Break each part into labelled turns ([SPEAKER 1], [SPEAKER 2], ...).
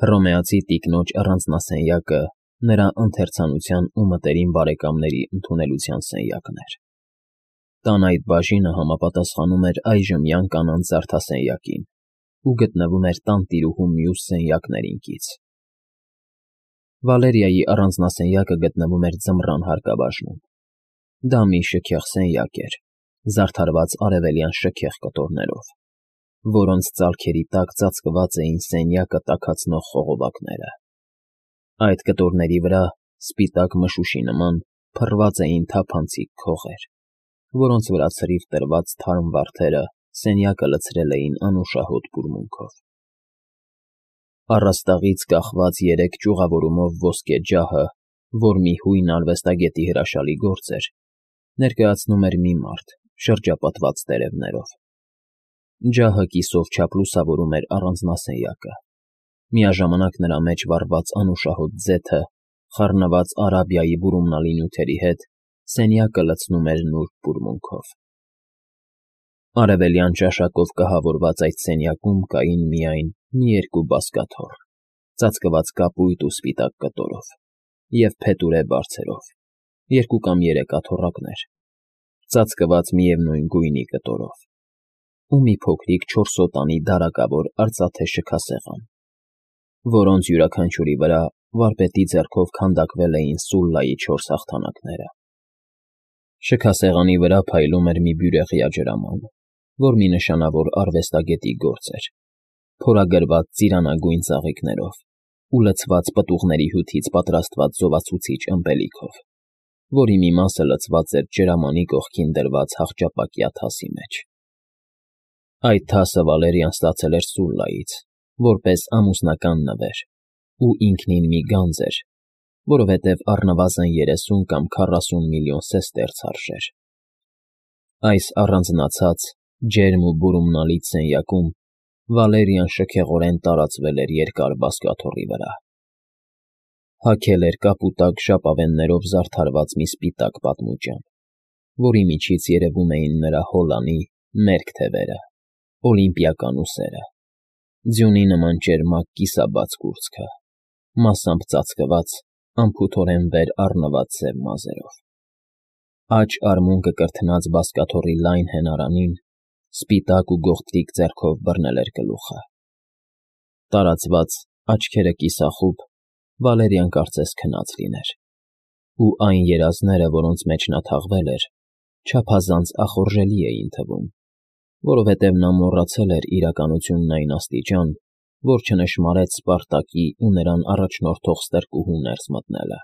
[SPEAKER 1] Հռոմեացի տիկնոջ առանձնասենյակը նրա ընթերցանության ու մտերիմ բարեկամների ընդունելության սենյակն էր։ Տան այդ բաժինը համապատասխանում էր այժմյան կանանց զարդասենյակին ու գտնվում էր տանտիրուհու մյուս սենյակներին կից։ Վալերիայի առանձնասենյակը գտնվում էր ձմռան հարկաբաժնում։ Դա մի շքեղ սենյակ էր, զարդարված արևելյան շքեղ կտորներով, որոնց ծալքերի տակ ծածկված էին սենյակը տաքացնող խողովակները։ Այդ կտորների վրա, սպիտակ մշուշի նման, փռված էին թափանցիկ քողեր, որոնց վրա ցրիվ տրված թարմ վարդերը սենյակը լցրել էին անուշահոտ բուրմունքով։ Առաստաղից կախված 3 ճյուղավորումով ոսկե ջահը, որ մի հույն արվեստագետի հրաշալի գործ էր, ներկայացնում էր մի մարդ, շրջապատված տերևներով։ Ջահը կիսով չափ լուսավորում էր առանձնասենյակը։ Միաժամանակ նրա մեջ վառված անուշահոտ ձեթը, խառնված Արաբիայի բուրումնալի նյութերի հետ, սենյակը լցնում էր նուրբ բուրմունքով։ Արևելյան ճաշակով կահավորված այդ սենյակում կային միայն մի երկու բազկաթոռ, ծածկված կապույտ ու սպիտակ կտորով, և փետուրե բարձերով, 2 կամ 3 աթոռակներ, ծածկված միևնույն գույնի կտորով, ու մի փոքրիկ 4 սոտանի դարակավոր արծաթե շքասեղան, որոնց յուրաքանչյուրի վրա վարպետի ձեռքով քանդակվել էին Սուլլայի 4 հաղթանակները։ Շքասեղանի վրա փայլում էր մի բյուրեղյա ջրաման, որ մի նշանավոր արվեստագետի գործ էր, փորագրված ծիրանագույն ծաղիկներով ու լցված պտուղների հյութից պատրաստված զովացուցիչ ըմպելիքով, որի մի մասը լցված էր ջրամանի կողքին դրված հախճապակյա թասի մեջ։ Այդ թասը Վալերիան ստացել էր Սուլլայից, որպես ամուսնական նվեր, ու ինքնին մի գանձ էր, որովհետև առնվազն 30 կամ 40 միլիոն սեստերց արժեր։ Այս առանձնացած, ջերմ ու բուրումնալից սենյակում Վալերիան շքեղորեն տարածվել էր երկար բազկաթոռի վրա։ Հագել էր կապուտակ ժապավեններով զարդարված մի սպիտակ պատմուջան, որի միջից երևում էին նրա հոլանի մերկ թևերը, օլիմպիական ուսերը, ձյունի նման ճերմակ կիսաբաց կուրծքը, մասամբ ծածկված, անփութորեն վեր առնված սև մազերով։ Աջ արմունկը կրթնած բազկաթոռի լայն հենարանին սպիտակ ու գողտրիկ ձեռքով բռնել էր գլուխը։ Տարածված, աչքերը կիսախուբ, Վալերիան կարծես քնած լիներ, ու այն երազները, որոնց մեջ նա թաղվել էր, չափազանց ախորժելի էին թվում, որովհետև նա մոռացել էր իրականությունն այն աստիճան, որ չնշմարեց Սպարտակի ու նրան առաջնորդող ստրկուհու ներս մտնելը։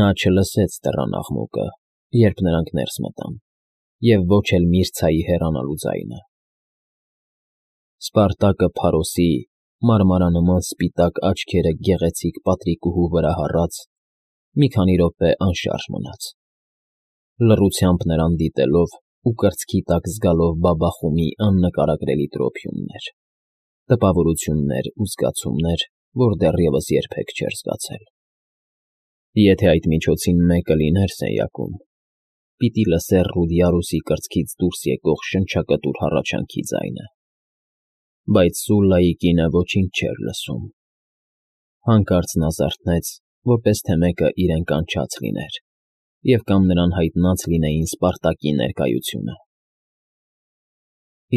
[SPEAKER 1] Նա չլսեց դռան աղմուկը, երբ նրանք ներս մտան, և ոչ էլ Միրցայի հեռանալու ձայնը։ Սպարտակը Փարոսի, մարմարանման սպիտակ աչքերը գեղեցիկ պատրիկուհու վրա հառած, մի քանի րոպե անշարժ մնաց, լռությամբ նրան դիտելով ու կրծքի տակ զգալով բաբախումի աննկարագրելի տրոփյուններ, տպավորություններ ու զգացումներ, որ դեռևս երբեք չէր զգացել։ Եթե այդ միջոցին մեկը լիներ սենյակում, պիտի լսեր Ռուդիարուսի կրծքից դուրս եկող շնչակտուր հառաչանքի ձայնը, բայց Սուլլայի կինը ոչինչ չէր լսում։ Հանկարծ նա զարթնեց, որպես թե մեկը իրեն կանչած լիներ, և կամ նրան հայտնած լինեին Սպարտակի ներկայությունը։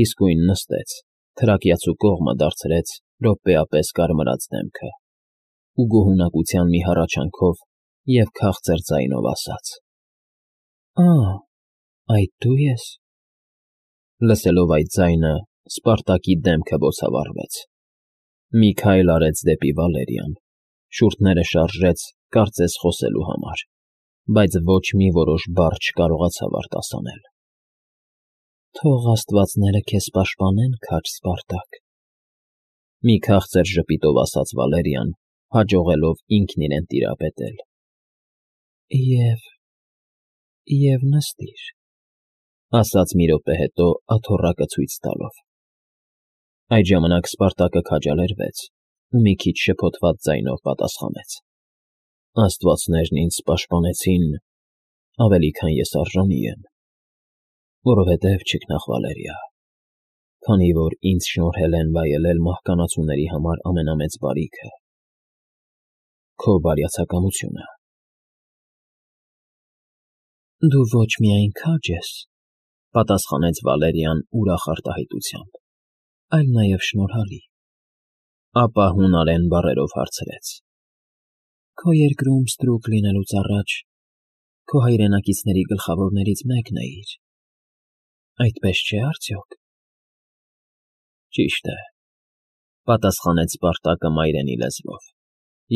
[SPEAKER 1] Իսկույն նստեց, թրակյացու կողմը դարձրեց րոպեապես կարմրած դեմքը ու գոհունակության մի հառաչանքով և քաղցր ձայնով ասաց. Այդ դու ես։ Լսելով այդ ձայնը, Սպարտակի դեմքը բոցավառվեց։ Մի քայլ արեց դեպի Վալերիան, շուրթերը շարժեց, կարծես խոսելու համար, բայց ոչ մի որոշ բառ չկարողացավ արտասանել։ Թող աստվածները քեզ պաշտպանեն, քաջ Սպարտակ, մի քաղցր ժպիտով ասաց Վալերիան, հաջողելով ինքն իրեն տիրապետել։ Եվ նստիր, ասաց մի րոպե հետո աթոռակը ցույց տալով։ Այդ ժամանակ Սպարտակը քաջալերվեց ու մի քիչ շփոթված ձայնով պատասխանեց. Աստվածներն ինձ պաշտպանեցին ավելի, քան ես արժանի եմ, որովհետև չքնաղ Վալերիա, Քանի որ ինձ շնորհել են վայելել մահկանացուների համար ամենամեծ բարիքը՝ քո բարյացակամությունը։ Դու ոչ միայն քաջ ես, պատասխանեց Վալերիան ուրախ արտահայտությամբ, այլ նաև շնորհալի։ Ապա հունարեն բառերով հարցրեց. Քո երկրում ստրուկ լինելուց առաջ քո հայրենակիցների գլխավորներից մեկն էիր։ Այդպես չէ՞ արդյոք։ Ճիշտ է, պատասխանեց Սպարտակը մայրենի լեզվով,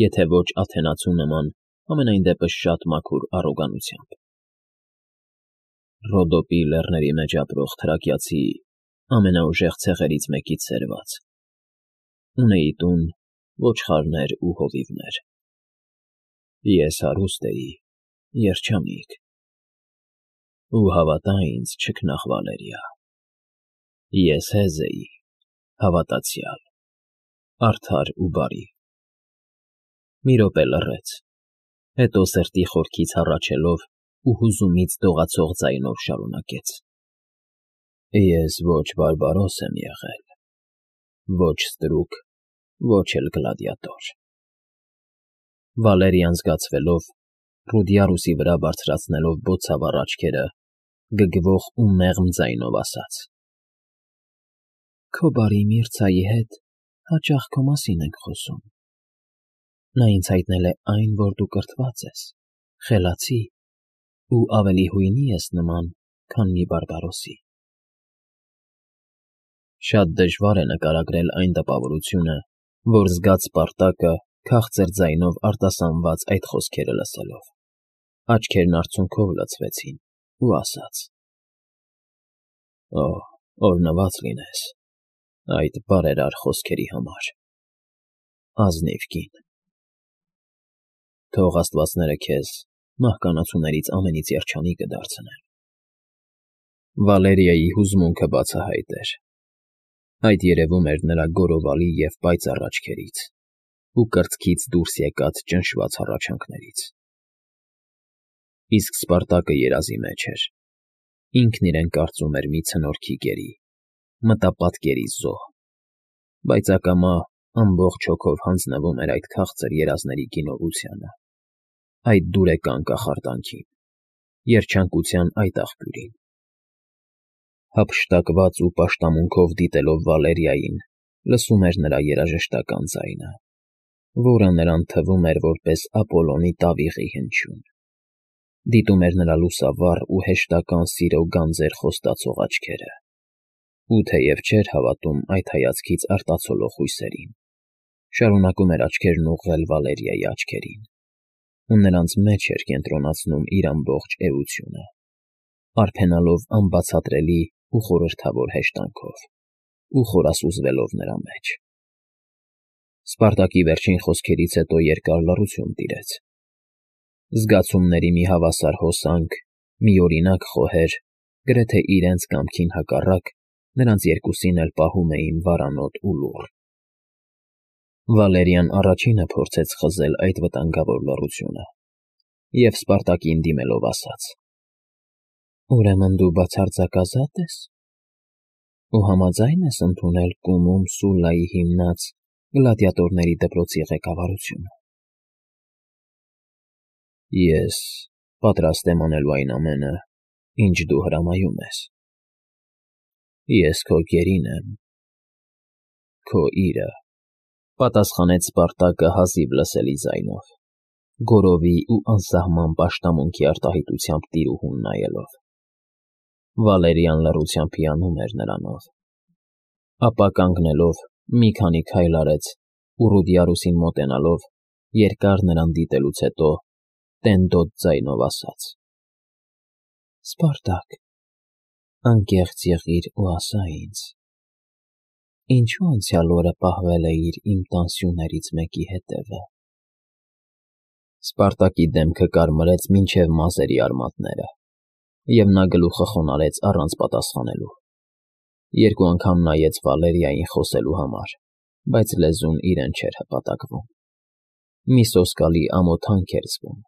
[SPEAKER 1] եթե ոչ աթենացու նման, համենայն դեպս շատ մաքուր առոգանությամբ։ Ռոդոպի լեռների մեջ ապրող թրակիացի ամենաուժեղ ցեղերից մեկից սերված։ Ունեի տուն, ոչխարներ ու հովիվներ։ Ես հարուստ էի, երջանիկ։ Ու հավատա ինձ, չքնաղ Վալերիա, ես հեզ էի, հավատացյալ, արդար ու բարի։ Մի րոպե լռեց, հետո սրտի խորքից հառաչելով ու հուզումից դողացող ձայնով շարունակեց. Ես ոչ բարբարոս եմ եղել, ոչ ստրուկ, ոչ էլ գլադիատոր։ Վալերիան զգացվելով, Ռուդիարուսի վրա բարձրացնելով բոցավառ աչքերը, գգվող ու մեղմ ձայնով ասաց. Քո բարի Միրցայի հետ հաճախ քո մասին ենք խոսում։ Նա ինձ հայտնել է այն, որ դու կրթված ես, խելացի ու ավելի հույնի ես նման, քան մի բարբարոսի։ Շատ դժվար է նկարագրել այն տպավորությունը, որ զգաց Սպարտակը քաղցր ձայնով արտասանված այդ խոսքերը լսելով։ Աչքերն արցունքով լցվեցին ու ասաց. Օ, օրհնված լինես այդ բարերար խոսքերի համար, ազնիվ կին։ Թող աստվածները քեզ մահկանացուներից ամենից երջանիկը դարձնեն։ Վալերիայի հուզմունքը բացահայտ էր։ Այդ երևում էր նրա գորովալի և պայծառ աչքերից ու կրծքից դուրս եկած ճնշված հառաչանքներից։ Իսկ Սպարտակը երազի մեջ էր։ Ինքն իրեն կարծում էր մի ցնորքի կերի, մտապատկերի զոհ, բայց ակամա ամբողջ հոգով հանձնվում էր այդ քաղցր երազների գինովությանը, այդ դուրեկան կախարդանքին, երջանկության այդ աղբյուրին։ Հափշտակված ու պաշտամունքով դիտելով Վալերիային, լսում էր նրա երաժշտական ձայնը, որը նրան թվում էր որպես Ապոլոնի տավիղի հնչյուն։ Դիտում էր նրա լուսավառ ու հեշտական սիրո գանձեր խոստացող աչքերը, ու թեև չէր հավատում այդ հայացքից արտացոլող հույսերին, շարունակում էր աչքերն ուղղել Վալերիայի աչքերին, ու նրանց մեջ էր կենտրոնացնում իր ամբողջ էությունը, արփենալով անբացատրելի ու խորհրդավոր հեշտանքով ու խորասուզվելով նրա մեջ։ Սպարտակի վերջին խոսքերից հետո երկար լռություն տիրեց։ Զգացումների մի հավասար հոսանք, միօրինակ խոհեր, գրեթե իրենց կամքին հակառակ, նրանց երկուսին էլ պահում էին վարանոտ ու լուռ։ Վալերիան առաջինը փորձեց խզել այդ վտանգավոր լռությունը և Սպարտակին դիմելով ասաց. Ուրեմն դու բացարձակազատ ես ու համաձայն ես ընդունել Կումում Սուլլայի հիմնած գլադիատորների դպրոցի ղեկավարությունը։ Ես պատրաստ եմ անելու այն ամենը, ինչ դու հրամայում ես։ Ես քո գերին եմ, քո իրը, պատասխանեց Սպարտակը հազիվ լսելի ձայնով, գորովի ու անսահման պաշտամունքի արտահայտությամբ տիրուհուն նայելով։ Վալերիան լռությամբ հիանում էր նրանով։ Ապա կանգնելով մի քանի քայլ արեց ու Ռուդիարուսին մոտենալով, երկար նրան դիտելուց հետո տենդոտ ձայնով ասաց. Սպարտակ, անկեղծ եղիր ու ասա ինձ, ինչու անցյալ օրը պահվել էիր իմ տան սյուներից մեկի հետևը։ Սպարտակի դեմքը կարմրեց մինչև մազերի արմատները, և նա գլուխը խոնարհեց առանց պատասխանելու։ Երկու անգամ նայեց Վալերիային խոսելու համար, բայց լեզուն իրեն չէր հպատակվում։ Մի սոսկալի ամոթանք էր զգում։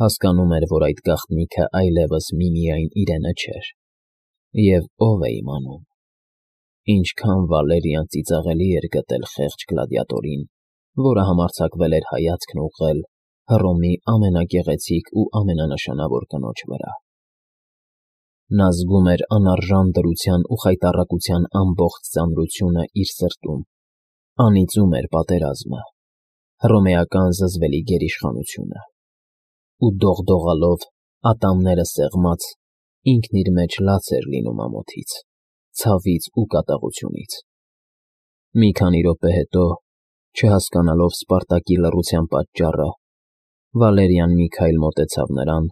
[SPEAKER 1] Հասկանում էր, որ այդ գաղտնիքը այլևս միմիայն իրենը չէր, և ով է իմանում, Ինչքան Վալերիան ծիծաղելի էր գտել խեղճ գլադիատորին, որը համարձակվել էր հայացքն ուղղել Հռոմի ամենագեղեցիկ ու ամենանշանավոր կնոջ վրա։ Նա զգում էր անարժան դրության ու խայտառակության ամբողջ ծանրությունը իր սրտում, անիծում էր պատերազմը, հռոմեական զզվելի գերիշխանությունը, ու դողդողալով, ատամները սեղմած, ինքն իր մեջ լաց էր լինում ամոթից, ցավից ու կատաղությունից։ Մի քանի րոպե հետո, չհասկանալով Սպարտակի լռության պատճառը, Վալերիան մի քայլ մոտեցավ նրան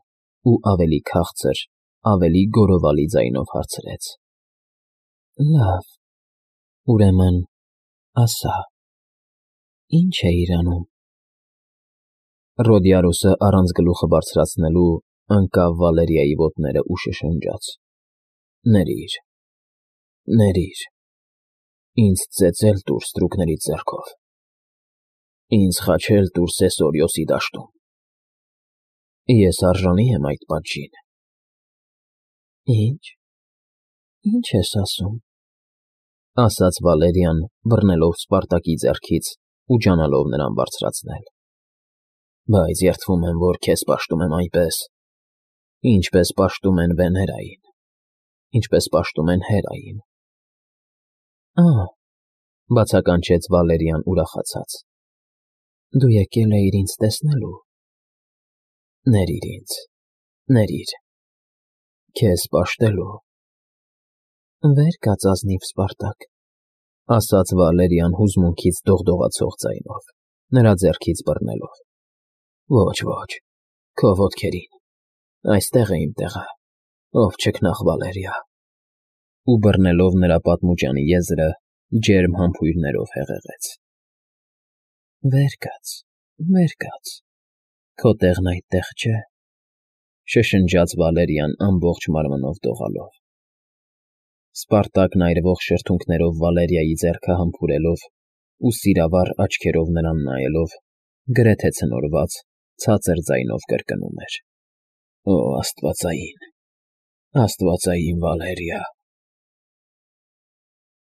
[SPEAKER 1] ու ավելի քաղցր, ավելի գոռովալի ձայնով հարցրեց. «Լավ, ուրեմն, ասա, ի՞նչ էիր անում»։ Ռոդիարոսը առանց գլուխը բարձրացնելու ընկավ Վալերիայի ոտները ու շշնջաց. «Ներիր, ներիր, ինձ ծեծել տուր ստրուկների ձեռքով, ինձ խաչել տուր Սեսորիոսի դաշտում, ես արժանի եմ այդ պատժին»։ «Ի՞նչ, ի՞նչ ես ասում», ասաց Վալերիան, բռնելով Սպարտակի ձեռքից ու ջանալով նրան բարձրացնել։ «Բայց երդվում եմ, որ քեզ պաշտում եմ այնպես, ինչպես պաշտում են Վեներային, ինչպես պաշտում են Հերային»։ «Ա՛, բացականչեց Վալերիան ուրախացած, դու եկել էիր ինձ տեսնելու։ Ներիր ինձ, ներիր, քեզ պաշտելու»։ «Վեր կաց ազնիվ Սպարտակ», ասաց Վալերիան հուզմունքից դողդողացող ձայնով, նրա ձեռքից բռնելով։ «Ոչ, ոչ, քո ոտքերին, այստեղ է իմ տեղը, ով չքնաղ Վալերիա», ու բռնելով նրա պատմուճանի եզրը, ջերմ համբույրներով հեղեղեց։ «Վեր կաց, քո տեղն այդտեղ չէ», շշնջաց Վալերիան ամբողջ մարմնով դողալով։ Սպարտակն այրվող շրթունքներով Վալերիայի ձեռքը համբուրելով ու սիրավառ աչքերով նրան նայելով, գրեթե ցնորված, ցածր ձայնով կրկնում էր. «Օ, աստվածային, աստվածային Վալերիա»։